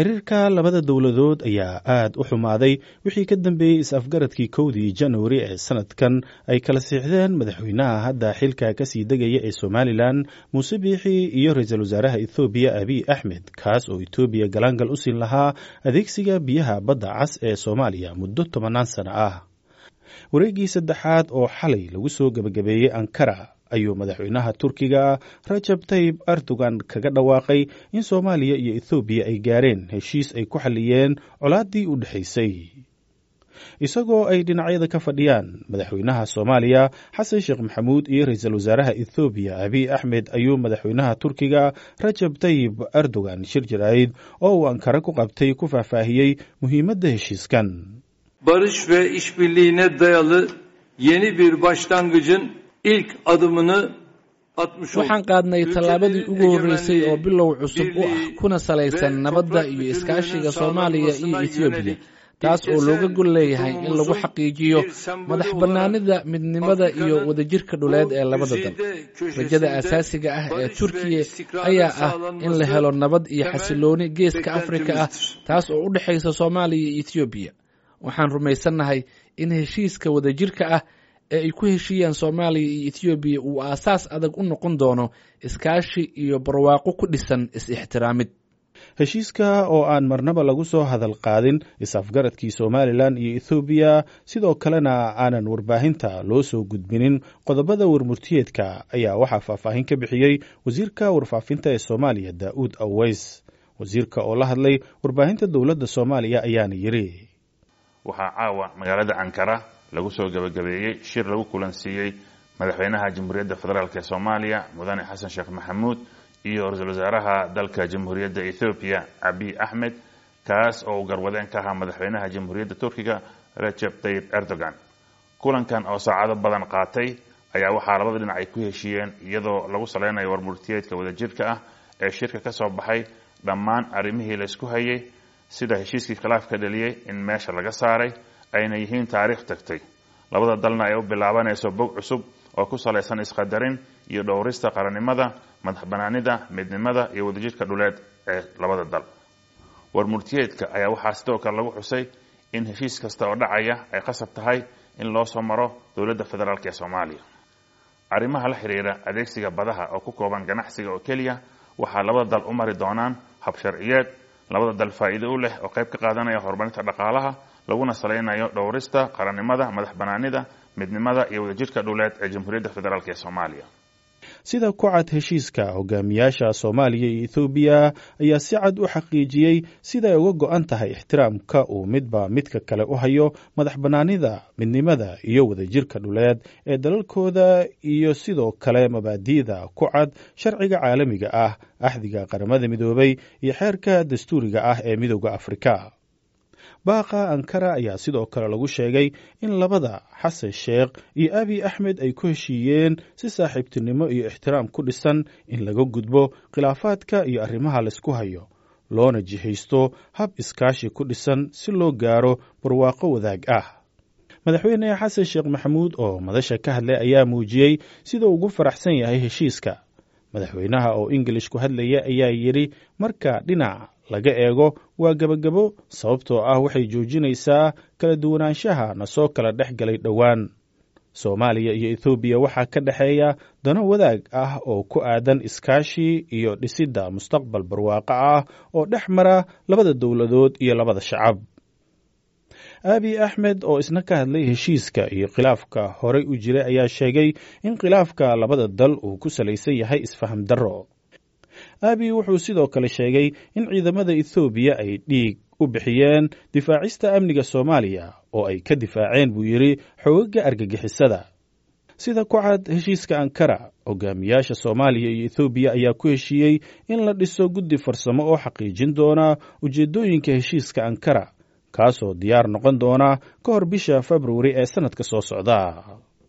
Xiriirka labada dowladood ayaa aad u xumaaday wixii ka dambeeyey is-afgaradkii 1dii Januari ee sanadkan ay kala siixdeen madaxweynaha hadda xilka kasii degaya ee Somalilan Muuse Biixi iyo ra-iisul wasaaraha Ethoobiya Abiy Axmed, kaas oo Etoobiya galaangal u siin lahaa adeegsiga biyaha badda cas ee Soomaaliya muddo 10-naan sano ah. Wareeggii saddexaad oo xalay lagu soo gebagabeeyey Ankara ayuu madaxweynaha Turkiga Rajab Tayib Erdogan kaga dhawaaqay in Soomaaliya iyo Ethoobiya ay gaareen heshiis ay ku xalliyeen colaaddii u dhexaysay, isagoo ay dhinacyada ka fadhiyaan madaxweynaha Soomaaliya Xasan Sheekh Maxamuud iyo ra-iisul wasaaraha Ethoobiya Abiy Axmed. Ayuu madaxweynaha Turkiga Rajab Tayib Erdogan shir jaraa'id oo uu Ankara ku qabtay ku faahfaahiyey muhiimadda heshiiskan. Barış ve işbirliğine dayalı yeni bir başlangıcın ilk adımını atmış olduk. Waxaan qaadnay tallaabadii ugu horreysay oo bilow cusub u ah kuna salaysan nabadda iyo iskaashiga Soomaaliya iyo Etoobiya, taas oo looga gol leeyahay in lagu xaqiijiyo madax bannaanida, midnimada iyo wadajirka dhuleed ee labada dal. Rajada asaasiga ah ee Turkiya ayaa ah in la helo nabad iyo xasilooni geeska Afrika ah, taas oo u dhexaysa Soomaaliya iyo Etoobiya. Waxaan rumaysannahay in heshiiska wadajirka ah ee ay ku heshiiyaan Soomaaliya iyo Etoobiya uu aasaas adag u noqon doono iskaashi iyo barwaaqo ku dhisan is-ixtiraamid. Heshiiska oo aan marnaba lagu soo hadal qaadin is-afgaradkii Somalilan iyo Ethoobiya, sidoo kalena aanan warbaahinta loo soo gudbinin qodobada warmurtiyeedka, ayaa waxaa faahfaahin ka bixiyey wasiirka warfaafinta ee Soomaaliya Daa'uud Aweys. Wasiirka oo la hadlay warbaahinta dowladda Soomaaliya ayaana yidhi: Waxaa caawa magaalada Ankara lagu soo gebagabeeyey shir lagu kulansiiyey madaxweynaha Jamhuuriyadda Federaalk ee Soomaaliya Mudane Xasan Sheekh Maxamuud iyo ra-iisul wasaaraha dalka Jamhuuriyadda Ethoobiya Abiy Axmed, kaas oo uu garwadeen ka ahaa madaxweynaha Jamhuuriyadda Turkiga Recep Tayyip Erdogan. Kulankan oo saacado badan qaatay ayaa waxaa labada dhinac ay ku heshiiyeen, iyadoo lagu saleynayo warmurtiyeedka wadajirka ah ee shirka ka soo baxay, dhammaan arrimihii laysku hayay sida heshiiskii khilaafka dhaliyey in meesha laga saaray, ayna yihiin taariikh tagtay, labada dalna ay u bilaabanayso bog cusub oo ku salaysan isqadarin iyo dhowrista qarannimada, madax banaanida, midnimada iyo wadajirka dhuleed ee labada dal. Warmurtiyeedka ayaa waxaa sidoo kale lagu xusay in heshiis kasta oo dhacaya ay qasab tahay in loo soo maro dowladda federaalk ee Soomaaliya. Arrimaha la xiriira adeegsiga badaha oo ku kooban ganacsiga oo keliya waxaa labada dal u mari doonaan hab sharciyeed labada dal faa'iido u leh oo qayb ka qaadanaya horumarinta dhaqaalaha, laguna salaynayo dhowrista qarannimada, madax banaanida, midnimada iyo wadajirka dhuleed ee Jamhuuriyadda Federaalk ee Soomaaliya. Sida ku cad heshiiska, hogaamiyaasha Soomaaliya iyo Ethoobiya ayaa si cad u xaqiijiyey sida ay uga go'an tahay ixtiraamka uu midba midka kale u hayo madax bannaanida, midnimada iyo wadajirka dhuleed ee dalalkooda, iyo sidoo kale mabaadi'da ku cad sharciga caalamiga ah, axdiga Qaramada Midoobay iyo xeerka dastuuriga ah ee Midooda Afrika. Baaqa Ankara ayaa sidoo kale lagu sheegay in labada Xasan Sheekh iyo Abiy Axmed ay ku heshiiyeen si saaxiibtinimo iyo ixtiraam ku dhisan in laga gudbo khilaafaadka iyo arrimaha laysku hayo, loona jihaysto hab iskaashi ku dhisan si loo gaaro barwaaqo wadaag ah. Madaxweyne Xasan Sheekh Maxamuud oo madasha ka hadlay ayaa muujiyey sida ugu faraxsan yahay heshiiska. Madaxweynaha oo Ingilish ku hadlaya ayaa yidhi: "Marka dhinac laga eego waa gebagabo, sababtoo ah waxay joojinaysaa kala duwanaanshaha na soo kala dhex galay dhowaan. Soomaaliya iyo Ethoobiya waxaa ka dhexeeya dano wadaag ah oo ku aadan iskaashi iyo dhisidda mustaqbal barwaaqo ah oo dhex mara labada dowladood iyo labada shacab." Abiy Axmed oo isna ka hadlay heshiiska iyo khilaafka horey u jiray ayaa sheegay in khilaafka labada dal uu ku salaysan yahay isfaham darro. Abiy wuxuu sidoo kale sheegay in ciidamada Ethoobiya ay dhiig u bixiyeen difaacista amniga Soomaaliya oo ay ka difaaceen, buu yidhi, xoogaga argagixisada. Sida ku cad heshiiska Ankara, hogaamiyaasha Soomaaliya iyo Ethoobiya ayaa ku heshiiyey in la dhiso guddi farsamo oo xaqiijin doona ujeeddooyinka heshiiska Ankara, kaasoo diyaar noqon doona ka hor bisha Februari ee sannadka soo socda.